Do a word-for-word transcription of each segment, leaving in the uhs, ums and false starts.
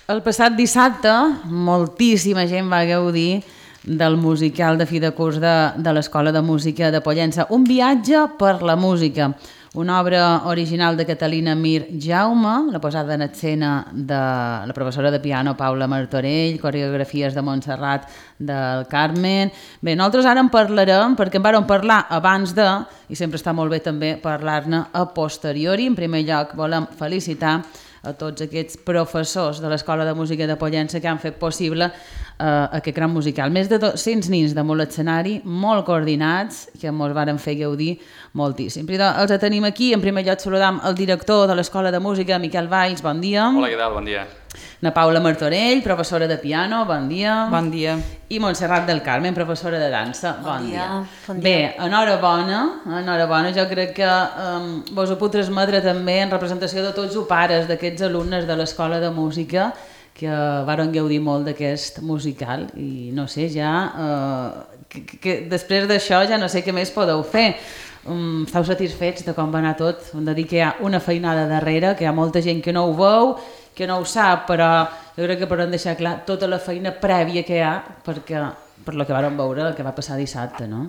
El passat dissabte moltíssima gent va gaudir del musical de fi de curs de, de l'Escola de Música de Pollença. Un viatge per la música, una obra original de Catalina Mir Jaume, la posada en escena de la professora de piano Paula Martorell, coreografies de Montserrat del Carmen. Bé, nosaltres ara en parlarem perquè en vàrem parlar abans de, i sempre està molt bé també parlar-ne a posteriori. En primer lloc volem felicitar a tots aquests professors de l'Escola de Música de Pollença que han fet possible eh, aquest gran musical. Més de dos-cents nins damunt l'escenari, molt coordinats, que ens varen fer gaudir moltíssim. Però els tenim aquí. En primer lloc saludam el director de l'Escola de Música, Miquel Valls, bon dia. Hola, què tal? Bon dia. Na Paula Martorell, professora de piano, bon dia. Bon dia. I Montserrat del Carmen, professora de dansa, bon, bon dia. dia. Bon dia. Bé, enhorabona, enhorabona, jo crec que um, vos ho puc transmetre també en representació de tots els pares d'aquests alumnes de l'Escola de Música que varen gaudir molt d'aquest musical i no sé, ja uh, que, que després d'això ja no sé què més podeu fer. Um, esteu satisfets de com va anar tot? Hem de dir que hi ha una feinada darrere, que hi ha molta gent que no ho veu, que no ho sap, però jo crec que podem deixar clar tota la feina prèvia que hi ha perquè, per la que vàrem veure el que va passar dissabte, no?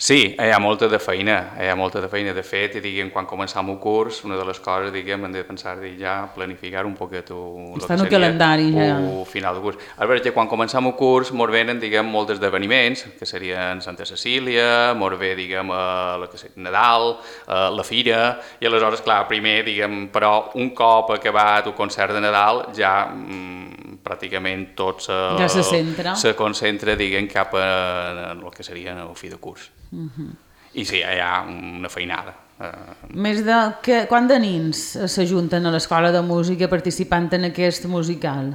Sí, hi ha molta de feina, hi ha molta de feina. De fet, diguem, quan començam el curs, una de les coses, diguem, hem de pensar de ja planificar un poquet el Està en el calendari, ja. El final del curs. A veure, que quan començam el curs, mos venen, diguem, molts esdeveniments, que serien Santa Cecília, mos ve, diguem, la que seria Nadal, la Fira, i aleshores, clar, primer, diguem, però un cop acabat el concert de Nadal, ja mm, pràcticament tot se, ja se centra, se concentra, diguem, cap a el que seria el fi de curs. Uh-huh. I sí, hi ha una feinada. Més de... Que, quant de nins s'ajunten a l'Escola de Música participant en aquest musical?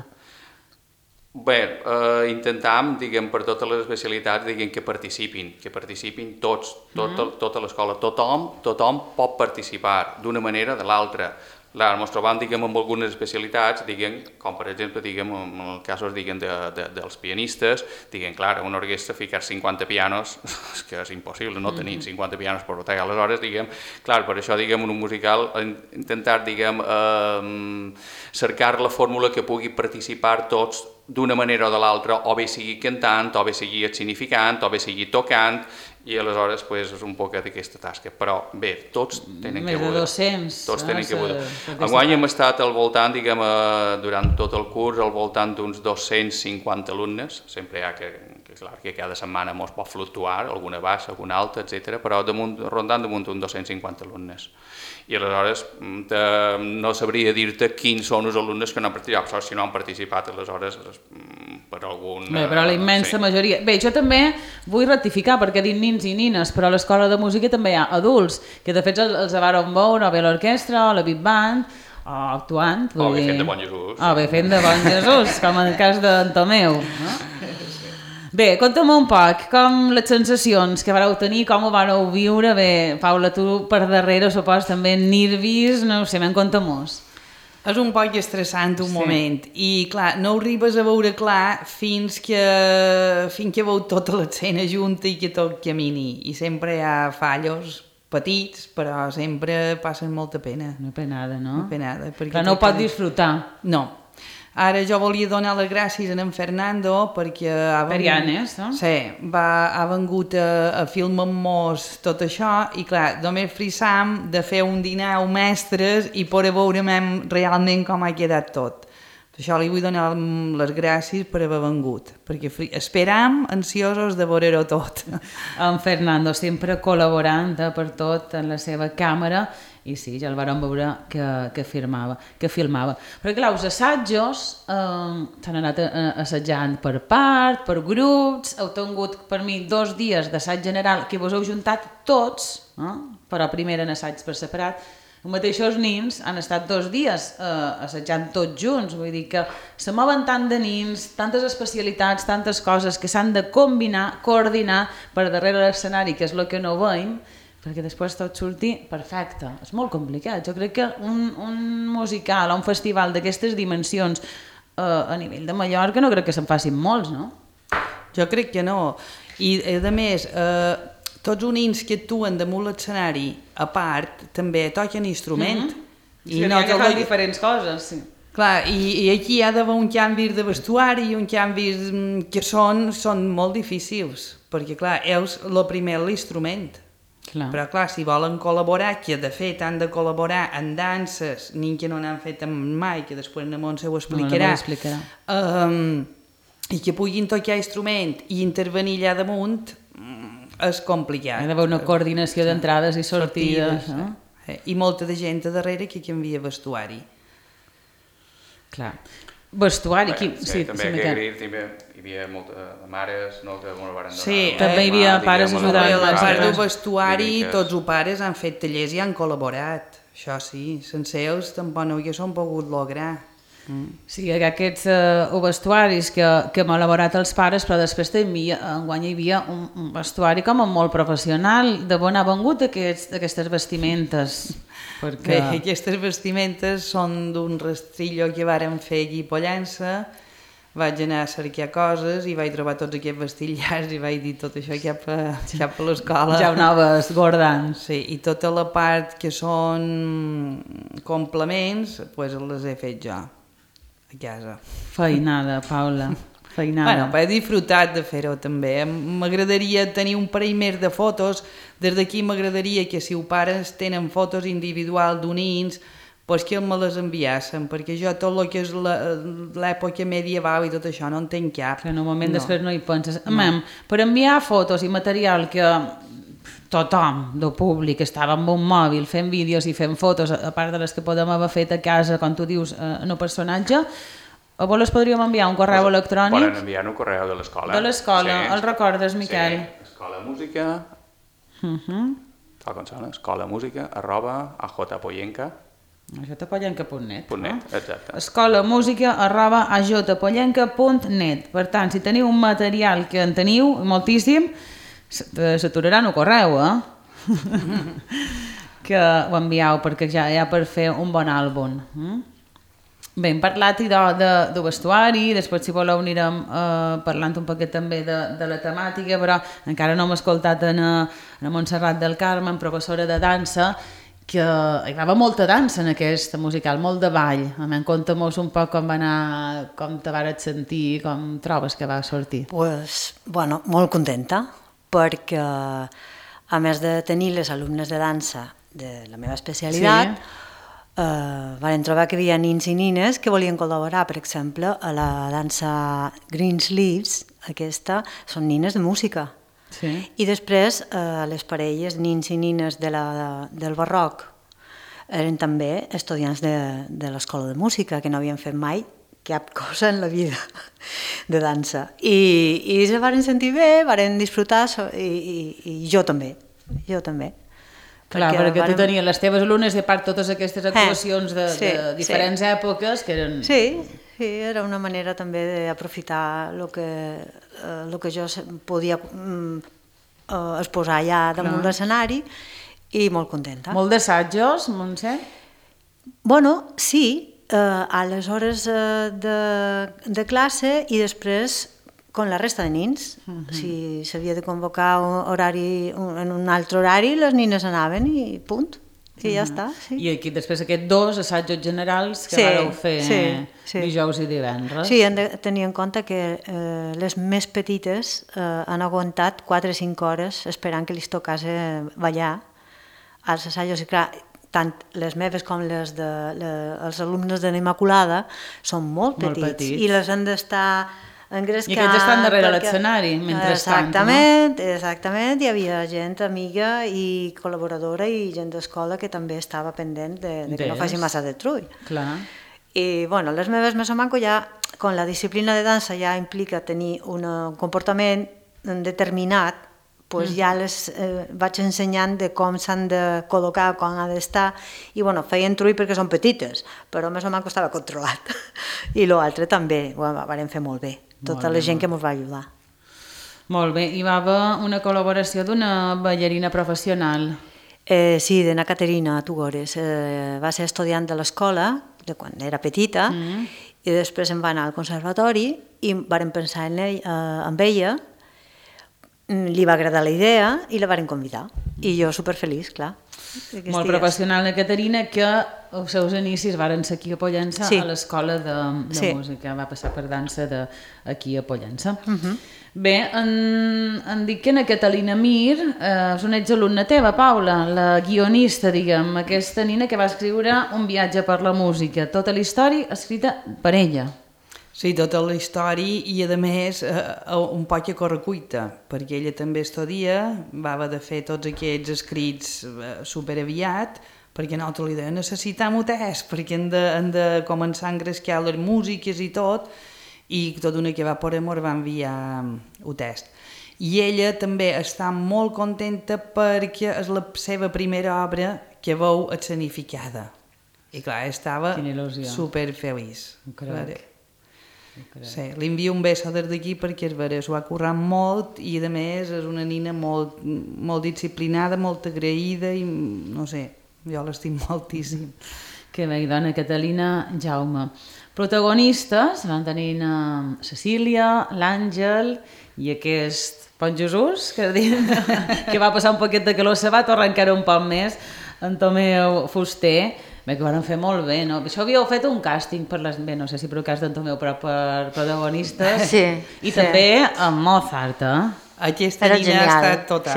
Bé, eh, intentam, diguem, per totes les especialitats, diguem, que participin, que participin tots, tot, uh-huh. tota l'escola, tothom, tothom pot participar d'una manera o de l'altra. Clar, ens trobam, diguem, amb algunes especialitats, diguem, com per exemple, diguem, en els casos, diguem, de, de, dels pianistes, diguem, clar, una orquestra ficar cinquanta pianos, és que és impossible, no tenim cinquanta pianos per botar, aleshores, diguem, clar, per això, diguem, en un musical, intentar, diguem, eh, cercar la fórmula que pugui participar tots d'una manera o de l'altra, o bé sigui cantant, o bé sigui significant, o bé sigui tocant, i aleshores pues, és un poc d'aquesta tasca. Però bé, tots tenen Més que voler. Més de dos-cents. Tots tenen que voler. Enguany hem estat al voltant, diguem, durant tot el curs, al voltant d'uns dos-cents cinquanta alumnes. Sempre hi ha que, que, clar, que cada setmana mos pot fluctuar, alguna baixa, alguna alta, etcètera, però damunt, rondant damunt uns dos-cents cinquanta alumnes. I aleshores te, no sabria dir-te quins són els alumnes que no han participat, però si no han participat, aleshores per algun... Bé, però la immensa sí. majoria... Bé, jo també vull rectificar, perquè dic nins i nines, però a l'Escola de Música també hi ha adults, que de fet els, els varen veure, o bé l'orquestra, o la Big Band, o actuant... O bé fent de bon Jesús. O bé fent de bon Jesús, com en el cas d'en Tomeu. No? Bé, conta'm un poc, com les sensacions que vareu tenir, com ho vareu viure. Bé, Paula, tu per darrere, supos, també nervis, no ho sé, me'n conta-mos. És un poc estressant un sí. moment i clar, no ho arribes a veure clar fins que, fins que veu tota l'escena junta i que tot camini. I sempre hi ha fallos petits, però sempre passen molta pena. Una penada, no? Una penada. Però no ho pot disfrutar. No. Ara jo volia donar les gràcies a en Fernando perquè ha vengut, Perianes, no? Sí, va, ha vengut a, a filmar amb tot això i clar, només frissam de fer un dinar amb mestres i poder veure realment com ha quedat tot. Per això li vull donar les gràcies per haver vengut, perquè esperam ansiosos de veure-ho tot. En Fernando sempre col·laborant eh, per tot en la seva càmera. I sí, ja el vàrem veure que, que, firmava, que filmava. Però clar, els assajos eh, s'han anat assajant per part, per grups, heu tingut per mi dos dies d'assaig general que vos heu juntat tots, eh, però primer en assaig per separat. Els mateixos nins han estat dos dies eh, assajant tots junts, vull dir que se mouen tant de nins, tantes especialitats, tantes coses que s'han de combinar, coordinar per darrere l'escenari, que és el que no veiem, perquè després tot surti perfecte. És molt complicat. Jo crec que un, un musical o un festival d'aquestes dimensions eh, a nivell de Mallorca no crec que se'n facin molts, no? Jo crec que no. I a més, eh, tots els nins que actuen damunt l'escenari, a part, també toquen instrument. Mm-hmm. I, I no que fan diferents coses, sí. Clar, i, i aquí hi ha d'haver un canvi de vestuari, un canvi que són, són molt difícils, perquè clar, és el primer l'instrument. Clar. Però clar, si volen col·laborar, que de fet han de col·laborar en danses, ni que no n'han fet mai, que després la Montse ho explicarà, No, explicarà. Um, i que puguin tocar instrument i intervenir allà damunt, és complicat. Hi ha d'haver una coordinació d'entrades i sortides. sortides No? eh? I molta de gent a darrere que canvia vestuari. Clar. Vestuari, Bé, qui... sí, també sí, aquí Miquel. a Gris també hi havia moltes mares, no?, que m'ho van donar. Sí, també hi havia pares diguem, ajudant. A la les part del pares. vestuari, Líriques. tots els pares han fet tallers i han col·laborat. Això sí, sense ells tampoc no haguessin pogut lograr. Mm. Sí, hi ha aquests uh, vestuaris que, que hem elaborat els pares, però després també enguany hi havia un, un vestuari com a molt professional, de on ha vengut aquests, aquestes vestimentes. Perquè... Bé, aquestes vestimentes són d'un rastrillo que vàrem fer aquí a Pollença. Vaig anar a cercar coses i vaig trobar tots aquests vestillars i vaig dir tot això cap a, cap a l'escola. Ja ho anaves guardant. Sí, i tota la part que són complements, pues les he fet jo a casa. Feinada, Paula, feinada. Bueno, però he disfrutat de fer-ho també. M'agradaria tenir un parell més de fotos. Des d'aquí m'agradaria que si els pares tenen fotos individuals d'unins, pues que me les enviassen, perquè jo tot el que és l'època medieval i tot això no en tenc cap. Que en un moment no. després no hi penses. No. Mem, per enviar fotos i material que tothom del públic estava amb un mòbil fent vídeos i fent fotos, a part de les que podem haver fet a casa, com tu dius, en un personatge, a vols les podríem enviar un correu Pues, electrònic? Poden enviar un correu de l'escola. De l'escola, Sí. el recordes, Miquel? Sí, escola música, Uh -huh. tal com sona, escola música, arroba, ajpoyenca, ajpollenca punt net. punt net, exacte. Escola música arroba ajpollenca punt net. Per tant, si teniu un material que en teniu moltíssim, s'aturaran el correu, eh? que ho envieu, perquè ja hi ha per fer un bon àlbum. Mm? Bé, hem parlat de, de, de vestuari, després si voleu anirem eh, parlant un poquet també de, de la temàtica, però encara no hem escoltat en, en Montserrat del Carme, professora de dansa, que hi va haver molta dansa en aquest musical, molt de ball. A mi, conta-mos un poc com va anar, com te vares sentir, com trobes que va sortir. Pues, bueno, molt contenta, perquè a més de tenir les alumnes de dansa de la meva especialitat, sí. eh, vam trobar que hi havia nins i nines que volien col·laborar, per exemple, a la dansa Greensleeves, aquesta, són nines de música. Sí. I després eh, les parelles, nins i nines de la, del barroc, eren també estudiants de, de l'escola de música, que no havien fet mai cap cosa en la vida de dansa. I, i se van sentir bé, van disfrutar, i, i, i jo també, jo també. Clar, perquè, perquè varen... tu tenies les teves alumnes i a part totes aquestes actuacions de, sí, de diferents sí. èpoques que eren... Sí, sí, era una manera també d'aprofitar el que, eh, lo que jo podia mm, eh, exposar allà damunt l'escenari i molt contenta. Molt d'assajos, Montse? Bueno, sí, eh, a les hores eh, de, de classe i després con la resta de nins. Uh -huh. Si s'havia de convocar un horari, un, en un altre horari, les nines anaven i punt. I ja uh -huh. està. Sí. I aquí després aquests dos assajos generals que sí, vareu fer sí, sí. dijous i divendres. Sí, hem de tenir en compte que eh, les més petites eh, han aguantat quatre o cinc hores esperant que li tocàs ballar als assajos. I clar, tant les meves com les de, le, els alumnes de l'Immaculada són molt petits, molt petits. i les han d'estar engrescant. I aquests estan darrere perquè... l'escenari, mentrestant, exactament, no? Exactament, hi havia gent amiga i col·laboradora i gent d'escola que també estava pendent de, de que no faci massa de trull. Clar. I bueno, les meves més o manco ja, con la disciplina de dansa ja implica tenir un comportament determinat, pues mm. ja les eh, vaig ensenyant de com s'han de col·locar, com ha d'estar, i bueno, feien trull perquè són petites, però més o manco estava controlat. I l'altre també ho vam fer molt bé. Tota la gent que ens va ajudar. Molt bé. Hi va haver una col·laboració d'una ballarina professional. Eh, sí, d'Anna Caterina Tugores. Eh, va ser estudiant de l'escola, de quan era petita, mm. i després em va anar al conservatori i vàrem pensar en ell, eh, amb ella, li va agradar la idea i la varen convidar. I jo superfeliç, clar. Molt professional, la Caterina, que els seus inicis varen ser aquí a Pollença, sí. a l'escola de, de sí. música, va passar per dansa de, aquí a Pollença. Uh -huh. Bé, en, en dic que en Catalina Mir eh, és una exalumna teva, Paula, la guionista, diguem, aquesta nina que va escriure Un viatge per la música, tota la història escrita per ella. Sí, tota la història i, a més, eh, un poc a correcuita, perquè ella també estudia, va haver de fer tots aquests escrits eh, superaviat, perquè nosaltres li deia, necessitem un test, perquè hem de, hem de començar a engrescar les músiques i tot, i tot una que va per amor va enviar el test. I ella també està molt contenta perquè és la seva primera obra que veu escenificada. I clar, estava superfeliç. Sí, li envio un beso des d'aquí perquè és vera, s'ho ha currat molt i a més és una nina molt, molt disciplinada, molt agraïda i no sé, jo l'estim moltíssim. Que bé, dona Catalina Jaume. Protagonistes van tenir uh, Cecília, l'Àngel i aquest Pont Jesús, que, que va passar un poquet de calor, se va tornar encara un poc més, en Tomeu Fuster. Bé, que ho van fer molt bé, no? Això havíeu fet un càsting per les... Bé, no sé si per el cas d'en Tomeu, però per protagonistes. Sí. I sí. també amb Mozart, eh? Aquesta Era nina genial. Ha estat total.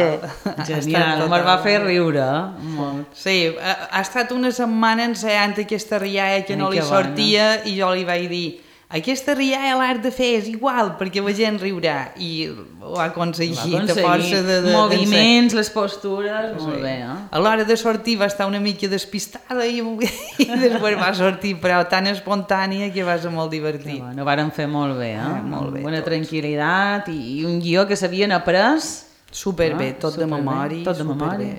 Sí. Genial, me'l va fer riure. Molt. Sí, ha, ha estat una setmana ensaiant aquesta rialla que Ai, no li sortia bona. I jo li vaig dir aquesta rialla l'has de fer, és igual, perquè la gent riurà. I ho ha aconseguit, a força de... de moviments, les postures, sí. Molt bé, eh? A l'hora de sortir va estar una mica despistada i, i després va sortir, però tan espontània que va ser molt divertit. Bueno, ho varen fer molt bé, eh? Ah, molt bé. Bona tranquil·litat i, i un guió que s'havien après... Superbé, ah, tot super de memòria. Tot de memòria.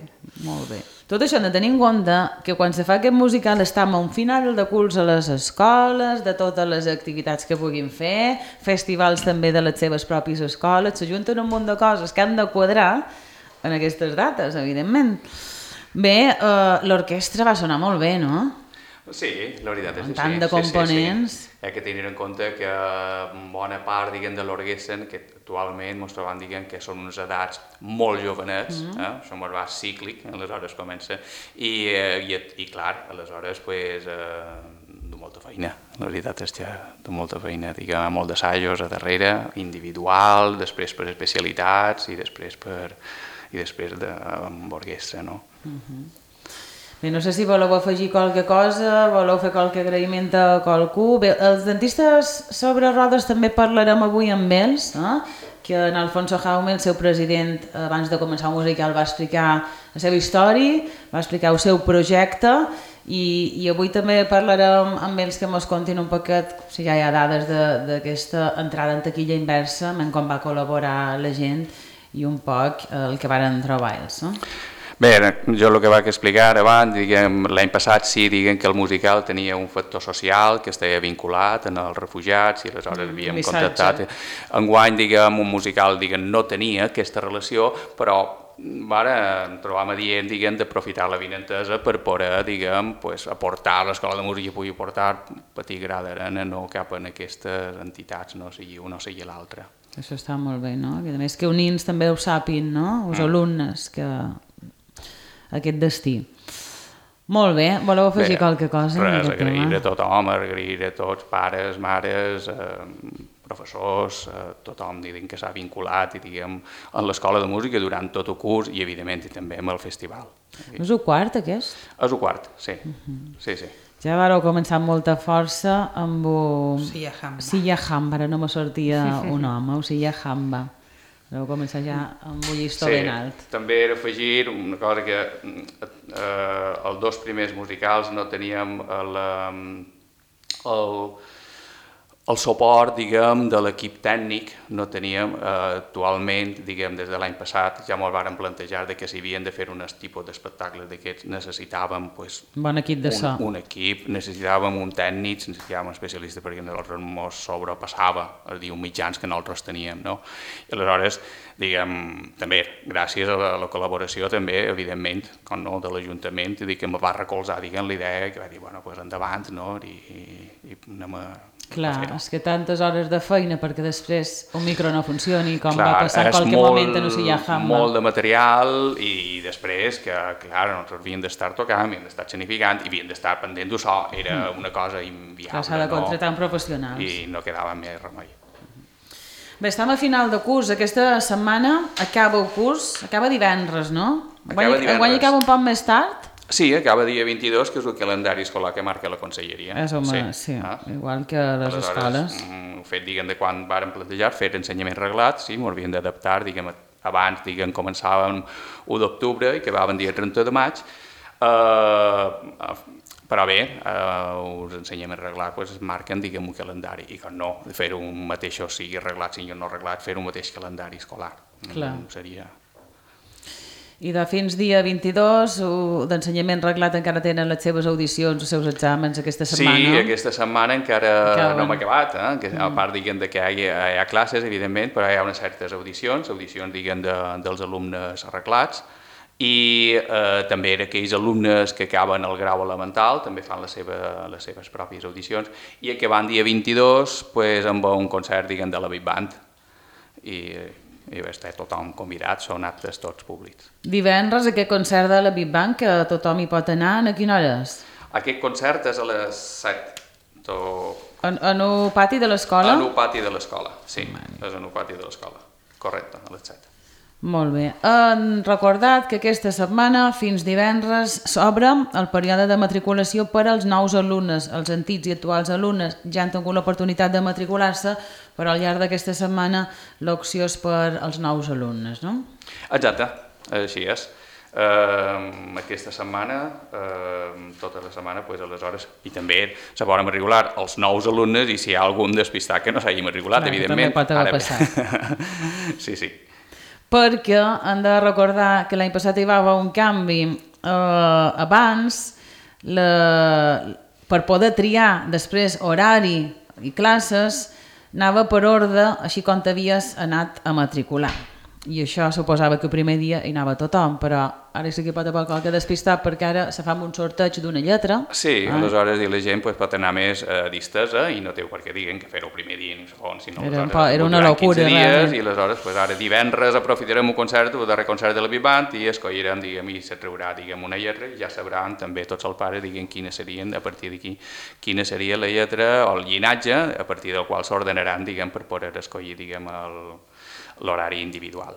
Molt bé. Tot això hem de tenir en compte que quan se fa aquest musical estem a un final de curs a les escoles, de totes les activitats que puguin fer, festivals també de les seves pròpies escoles, s'ajunten un munt de coses que han de quadrar en aquestes dates, evidentment. Bé, eh, l'orquestra va sonar molt bé, no? Sí, la veritat és que sí. Tant de components. Sí, sí, sí. Hi ha que tenir en compte que bona part, diguem, de l'orquestra, que actualment ens trobem, diguem, que són unes edats molt jovenets, mm -hmm. eh? Això va cíclic, aleshores comença, i, eh, i, i clar, aleshores, pues, eh, de molta feina, la veritat és que de molta feina, diguem, molt d'assajos a darrere, individual, després per especialitats i després per i després de, amb orquestra, no? Mm -hmm. Bé, no sé si voleu afegir qualque cosa, voleu fer qualque agraïment a qualcú. Bé, els dentistes sobre rodes també parlarem avui amb ells, eh? Que en Alfonso Jaume, el seu president, abans de començar el musical va explicar la seva història, va explicar el seu projecte i, i avui també parlarem amb ells que ens contin un poquet, si ja hi ha dades d'aquesta entrada en taquilla inversa, en com va col·laborar la gent i un poc el que varen trobar ells, no? Bé, jo el que vaig explicar abans, l'any passat sí, diguem que el musical tenia un factor social que estava vinculat en els refugiats i aleshores havíem mm, contactat. Enguany, diguem, un musical diguem, no tenia aquesta relació, però ara trobam adient, diguem, d'aprofitar la vinentesa per poder, diguem, pues, aportar l'escola de música i pugui aportar petit gra d'arena, no cap en aquestes entitats, no sigui una o sigui l'altra. Això està molt bé, no? A més que unins també ho sàpin, no? Els mm. alumnes que... aquest destí. Molt bé, voleu afegir bé, qualque cosa? Res, agrair a tothom, agrair a tots, pares, mares, eh, professors, eh, tothom diguem, que s'ha vinculat i, diguem, en l'escola de música durant tot el curs i evidentment també amb el festival. És el quart aquest? És el quart, sí. Uh -huh. sí, sí. Ja vareu començar amb molta força amb o... Sia Hamba. Sia Hamba, ara no me sortia un home, o Sia Hamba. Vau començar ja amb un llistó sí, ben alt. També era afegir una cosa que eh, els dos primers musicals no teníem el, el, el suport, diguem, de l'equip tècnic, no teníem eh, actualment, diguem, des de l'any passat, ja ens vàrem plantejar de que si havien de fer un tipus d'espectacles d'aquests necessitàvem pues, bon equip de so. un, un equip, necessitàvem un tècnic, necessitàvem un especialista perquè nosaltres ens sobrepassava els diu mitjans que nosaltres teníem, no? I aleshores, diguem, també, gràcies a la, a la col·laboració també, evidentment, com no, de l'Ajuntament, que em va recolzar, diguem, la idea que va dir, bueno, pues endavant, no? I, i, i anem a Clar, fer-ho. és que tantes hores de feina perquè després un micro no funcioni, com Clar, va passar en és qualque molt, moment en Ucilla Hamba. molt de material i després que, clar, nosaltres havíem d'estar tocant, havíem d'estar escenificant i havíem d'estar pendent d'això, era una cosa inviable. Clar, s'ha de contratar amb professionals. I no quedava més remei. Bé, estem a final de curs. Aquesta setmana acaba el curs, acaba divendres, no? Acaba divendres. Enguany acaba un poc més tard? Sí, acaba dia vint-i-dos, que és el calendari escolar que marca la conselleria. És, home, sí, Ah. igual que les Aleshores, escoles. mm, el fet, diguem, de quan vàrem plantejar fer ensenyament reglat, sí, m'ho havíem d'adaptar, diguem, abans, diguem, començàvem l'u d'octubre i acabaven dia trenta de maig, eh, però bé, eh, els ensenyaments reglats pues, es marquen, diguem, un calendari, i que no, fer un mateix, o sigui reglat, sigui no reglat, fer un mateix calendari escolar. Clar. Mm, seria... I de fins dia vint-i-dos d'ensenyament reglat encara tenen les seves audicions, els seus exàmens aquesta setmana. Sí, aquesta setmana encara Acaben. no hem acabat, eh? que, a part diguem, de que hi ha, hi ha classes, evidentment, però hi ha unes certes audicions, audicions diguem, de, dels alumnes arreglats, i eh, també aquells alumnes que acaben el grau elemental també fan la seva, les seves pròpies audicions, i acabant dia vint-i-dos pues, amb un concert diguem, de la Big Band, i, i està tothom convidat, són actes tots públics. Divendres aquest concert de la Big Bang, que tothom hi pot anar, a quina hora és? Aquest concert és a les set. To... En, en el pati de l'escola? En el pati de l'escola, sí, és en el pati de l'escola, correcte, a les set. Molt bé. Han recordat que aquesta setmana, fins divendres, s'obre el període de matriculació per als nous alumnes. Els antics i actuals alumnes ja han tingut l'oportunitat de matricular-se, però al llarg d'aquesta setmana l'opció és per als nous alumnes, no? Exacte, així és. Uh, aquesta setmana, uh, tota la setmana, pues, aleshores, i també se poden matricular els nous alumnes i si hi ha algun despistat que no s'hagi matriculat, Clar, evidentment. també pot haver Ara bé. passat. Sí, sí. Perquè han de recordar que l'any passat hi va haver un canvi. Eh, abans, la, per poder triar després horari i classes, anava per ordre, així com t'havies anat a matricular. I això suposava que el primer dia hi anava tothom, però ara sí que pot haver qualque despistat perquè ara se fa un sorteig d'una lletra. Sí, ah. aleshores la gent pues, pot anar més eh, distesa i no té per què diguen que fer-ho el primer dia ni el segon, sinó Era, aleshores era una duran locura, quinze dies realment. i aleshores pues, ara divendres aprofitarem un concert, el darrer concert de la Big Band i escollirem, diguem, i se treurà diguem, una lletra i ja sabran també tots els pares diguem, quines serien, a partir d'aquí, quina seria la lletra o el llinatge a partir del qual s'ordenaran diguem, per poder escollir diguem, l'horari individual.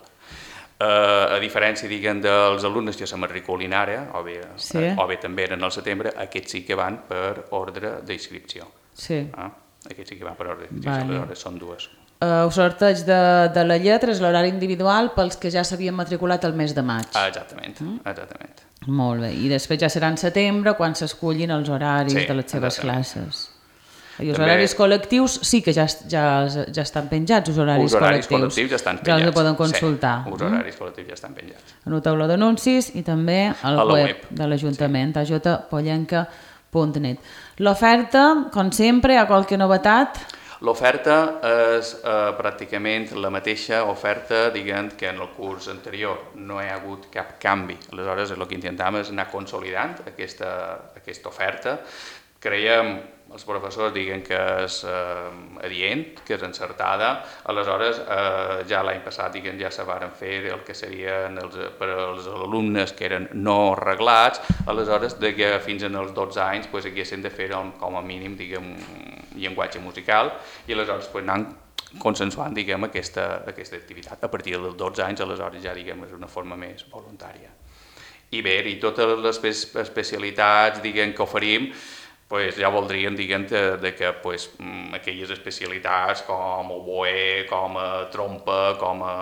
Uh, a diferència diguem, dels alumnes que se matriculin ara, o bé, sí. o bé també eren al setembre, aquests sí que van per ordre d'inscripció. Sí. Ah? Aquests sí que van per ordre d'inscripció, Vale. aleshores són dues. Uh, el sorteig de, de la lletra és l'horari individual pels que ja s'havien matriculat el mes de maig. Ah, exactament, mm? exactament. Molt bé, i després ja serà en setembre quan s'escullin els horaris Sí, de les seves exactament. classes. I els També- horaris col·lectius sí que ja, ja, ja estan penjats, els horaris, Els horaris col·lectius. col·lectius ja estan Ja penjats. els poden consultar. Sí, els horaris col·lectius ja estan penjats. En el tauló d'anuncis i també al A la web, web. de l'Ajuntament, sí. a j pollenca punt net. L'oferta, com sempre, hi ha qualque novetat? L'oferta és eh, pràcticament la mateixa oferta diguem, que en el curs anterior. No hi ha hagut cap canvi. Aleshores, el que intentem és anar consolidant aquesta, aquesta oferta. Creiem, els professors diguen que és eh, adient, que és encertada. Aleshores, eh, ja l'any passat diguen, ja se varen fer el que serien els, per als alumnes que eren no reglats. Aleshores, de que fins als dotze anys pues, haguessin de fer com a mínim diguem, llenguatge musical i aleshores pues, anant consensuant diguem, aquesta, aquesta activitat. A partir dels dotze anys, aleshores ja diguem, és una forma més voluntària. I bé, i totes les especialitats diguem, que oferim pues ja voldrien diguem, de, de que pues, aquelles especialitats com oboè, com a trompa, com a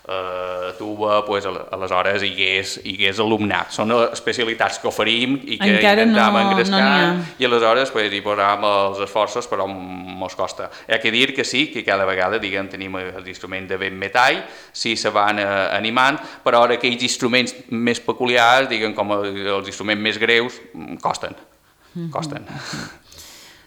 eh, tuba, pues, aleshores hi hagués, hi hagués alumnat. Són especialitats que oferim i que Encara intentem no, engrescar no i aleshores pues, hi posam els esforços però mos costa. Hi ha que dir que sí, que cada vegada diguem, tenim els instruments de vent metall, sí se van eh, animant, però ara aquells instruments més peculiars, diguem, com els instruments més greus, costen. costen.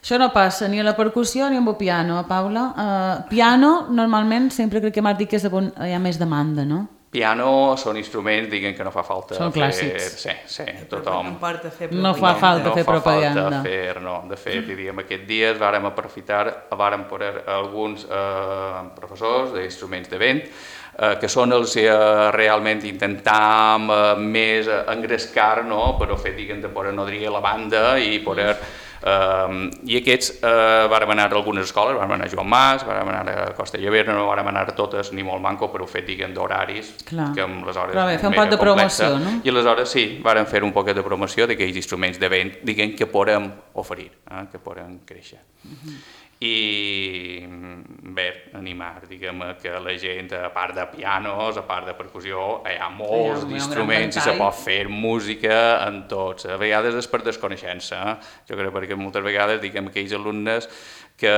Això no passa ni a la percussió ni amb el piano, Paula. Uh, piano, normalment, sempre crec que m'has dit que és on hi ha més demanda, no? piano són instruments, diguem que no fa falta són fer... clàssics. Sí, sí, tothom... No importa fer No fa falta no fer fa propaganda. falta fer, no. De fet, diríem, aquests dies vàrem aprofitar, vàrem poder alguns eh, professors d'instruments de vent, eh, que són els que eh, realment intentam eh, més engrescar, no?, però fer, diguem, de poder nodrir la banda i poder... Uh, i aquests uh, vàrem anar a algunes escoles, vàrem anar a Joan Mas, vàrem anar a Costa Llobera, no vàrem anar a totes ni molt manco, però ho fet, diguem, d'horaris, que amb les hores però bé, fer un mega poc de complexa. promoció, no? I aleshores sí, vàrem fer un poquet de promoció d'aquells instruments de vent, diguem, que podem oferir, eh, que podem créixer. Uh-huh. I bé, animar, diguem, que la gent, a part de pianos, a part de percussió, hi ha molts Hi ha un instruments i se pot fer música en tots. A vegades és per desconeixença, eh? Jo crec perquè moltes vegades, diguem, aquells alumnes que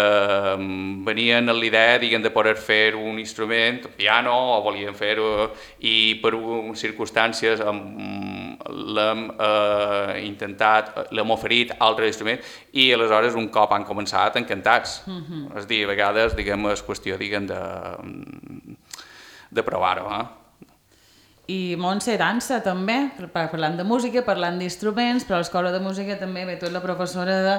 venien amb l'idea, diguem, de poder fer un instrument, un piano, o volien fer-ho, i per circumstàncies l'hem eh, intentat, l'hem oferit altres instruments, i aleshores un cop han començat encantats. Uh-huh. És a dir, a vegades, diguem, és qüestió, diguem, de, de provar-ho, eh? I Montse dansa també, parlant de música, parlant d'instruments, però a l'escola de música també, bé, tu ets la professora de,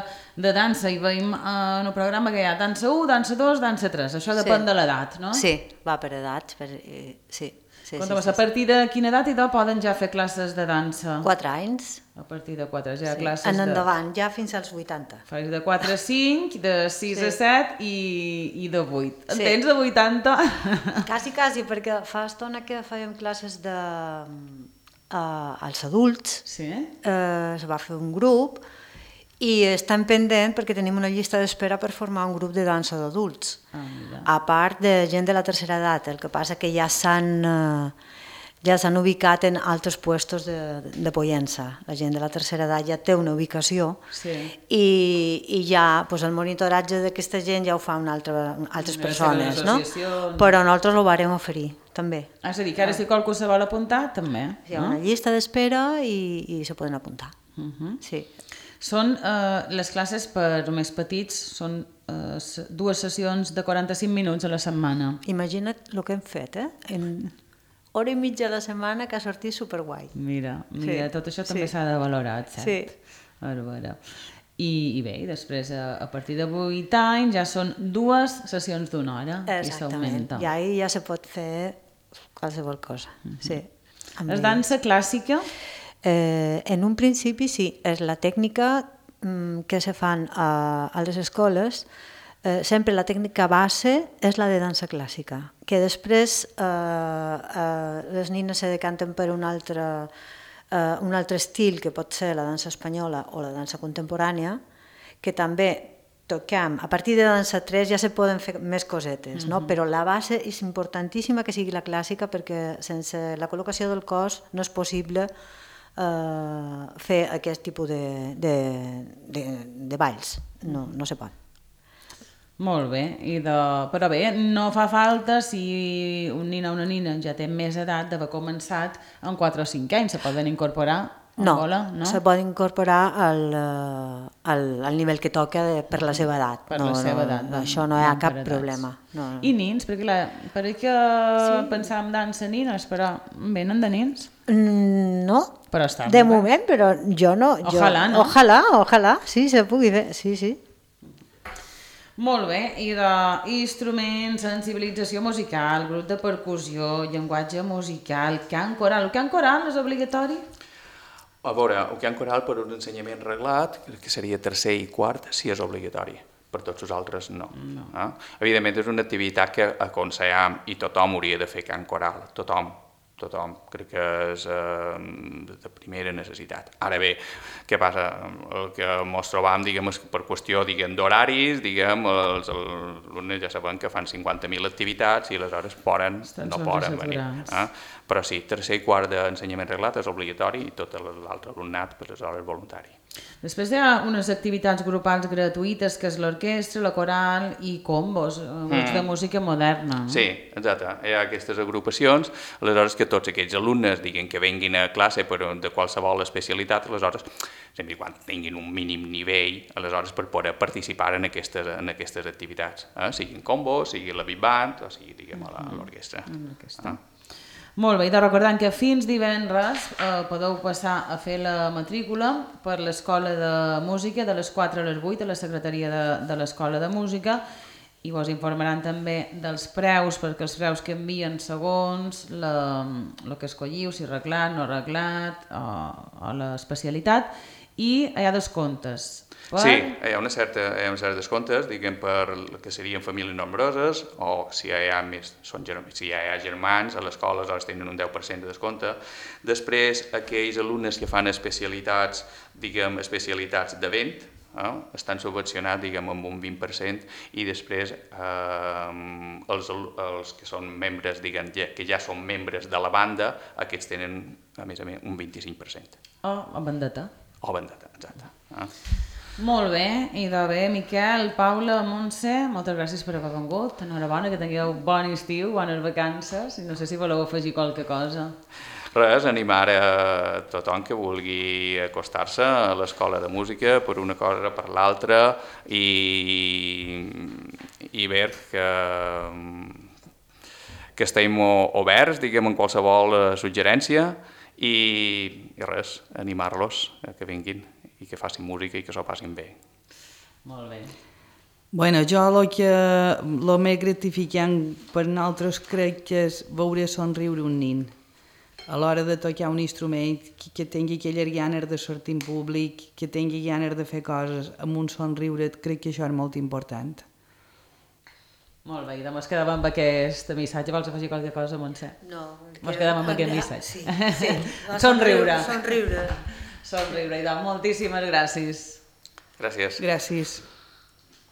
de dansa i veiem eh, en un programa que hi ha dansa u, dansa dos, dansa tres, això depèn Sí. de l'edat, no? Sí, va per edats, per, eh, sí. Sí, Conta'm, sí, sí, a partir de quina edat i de poden ja fer classes de dansa? sí. Quatre anys. A partir de quatre, ja Sí. classes En de... endavant, ja fins als vuitanta. Fas de quatre a cinc, de sis Sí. a set i, i de vuit. En Sí. tens de vuitanta? Quasi, quasi, perquè fa estona que fèiem classes de, uh, als adults, Sí? eh, es va fer un grup i estem pendent perquè tenim una llista d'espera per formar un grup de dansa d'adults. Ah, mira. A part de gent de la tercera edat, el que passa que ja s'han eh, ja s'han ubicat en altres puestos de, de Pollença. La gent de la tercera edat ja té una ubicació Sí. i, i ja pues, el monitoratge d'aquesta gent ja ho fa una altra, altres Les persones, seves no? associacions. Però nosaltres ho vàrem oferir, també. Ah, és a dir, que ara si qualcú se vol apuntar, també. Hi ha una llista d'espera i, i se poden apuntar. Uh -huh. Sí. Són eh, les classes per més petits, són eh, s- dues sessions de quaranta-cinc minuts a la setmana. Imagina't el que hem fet, eh? En hora i mitja a la setmana que ha sortit superguai. Mira, mira, Sí, tot això també sí. s'ha de valorar, cert? Sí. Bàrbara. I, I bé, i després a, a partir de vuit anys ja són dues sessions d'una hora i Exactament. s'augmenta. I ahir ja se pot fer qualsevol cosa. Sí. Amb És ells. dansa clàssica? Eh, en un principi sí, és la tècnica mm, que se fan a, a les escoles. Eh, sempre la tècnica base és la de dansa clàssica, que després eh, eh, les nines se decanten per un altre, eh, un altre estil, que pot ser la dansa espanyola o la dansa contemporània, que també toquem. A partir de dansa tres ja se poden fer més cosetes, no? Però la base és importantíssima que sigui la clàssica, perquè sense la col·locació del cos no és possible eh, fer aquest tipus de, de, de, de balls. No, no se pot. Molt bé, I de... però bé, no fa falta si un nin o una nina ja té més edat d'haver començat en quatre o cinc anys, se poden incorporar a No, bola, no? se pot incorporar al, eh, al, al nivell que toca de, per la seva edat. Per no, la seva no, edat. No, això no hi ha per cap edats. problema. No, no. I nins? Perquè la, perquè sí. pensàvem dansa nines, però venen de nins? Mm, No, Però està de molt bé. moment, però jo no. Jo, Ojalà, no? Ojalà, ojalà, sí, se pugui fer, sí, sí. Molt bé, i d'instruments, sensibilització musical, grup de percussió, llenguatge musical, cant coral. El cant coral és obligatori? A veure, el cant coral per un ensenyament reglat, que seria tercer i quart, sí és obligatori. Per tots els altres, no. no. Eh? Evidentment, és una activitat que aconsellem i tothom hauria de fer cant coral, tothom. Tothom, crec que és eh, de primera necessitat. Ara bé, què passa? El que ens trobam, diguem, és que per qüestió, diguem, d'horaris, diguem, els alumnes ja saben que fan cinquanta mil activitats i aleshores poden, Estan no poden venir. Eh? Però sí, tercer i quart d'ensenyament reglat és obligatori i tot l'altre alumnat, pues, és hores voluntari. Després hi ha unes activitats grupals gratuïtes, que és l'orquestra, la coral i combos, grups mm. de música moderna. No? Sí, exacte. Hi ha aquestes agrupacions, aleshores que tots aquests alumnes diguin que venguin a classe per, de qualsevol especialitat, aleshores, sempre quan tinguin un mínim nivell, aleshores per poder participar en aquestes, en aquestes activitats, eh? Siguin combos, sigui la big band o sigui, diguem, a l'orquestra. Mm. Ah. Molt bé, i de recordant que fins divendres eh, podeu passar a fer la matrícula per l'Escola de Música de les quatre a les vuit a la secretaria de, de l'Escola de Música i vos informaran també dels preus, perquè els preus canvien segons el que escolliu, si arreglat, no arreglat, o, o l'especialitat, i hi ha descomptes. Per... Sí, hi ha una certa, hi ha una certa descomptes, diguem, per el que serien famílies nombroses, o si hi ha més, són, si hi ha germans, a l'escola aleshores tenen un deu per cent de descompte. Després, aquells alumnes que fan especialitats, diguem, especialitats de vent, eh, estan subvencionats, diguem, amb un vint per cent, i després eh, els, els que són membres, diguem, que ja són membres de la banda, aquests tenen, a més a més, un vint-i-cinc per cent. O oh, bandeta. O bandeta, exacte. Eh? Molt bé, i de bé, Miquel, Paula, Montse, moltes gràcies per haver vengut. Enhorabona, que tingueu bon estiu, bones vacances, i no sé si voleu afegir qualque cosa. Res, animar a tothom que vulgui acostar-se a l'escola de música per una cosa o per l'altra i, i veure que, que estem oberts, diguem, en qualsevol suggerència i, i res, animar-los a que vinguin i que facin música i que s'ho passin bé. Molt bé. Bueno, jo el que el més gratificant per nosaltres crec que és veure somriure un nin a l'hora de tocar un instrument, que, que tingui aquelles ganes de sortir en públic, que tingui ganes de fer coses amb un somriure, crec que això és molt important. Molt bé, i demà es quedava amb aquest missatge. Vols afegir qualque cosa, Montse? No. Ens quedem amb aquest missatge. Sí, sí. Somriure. Somriure. Somriure, i doncs moltíssimes gràcies. Gràcies. Gràcies.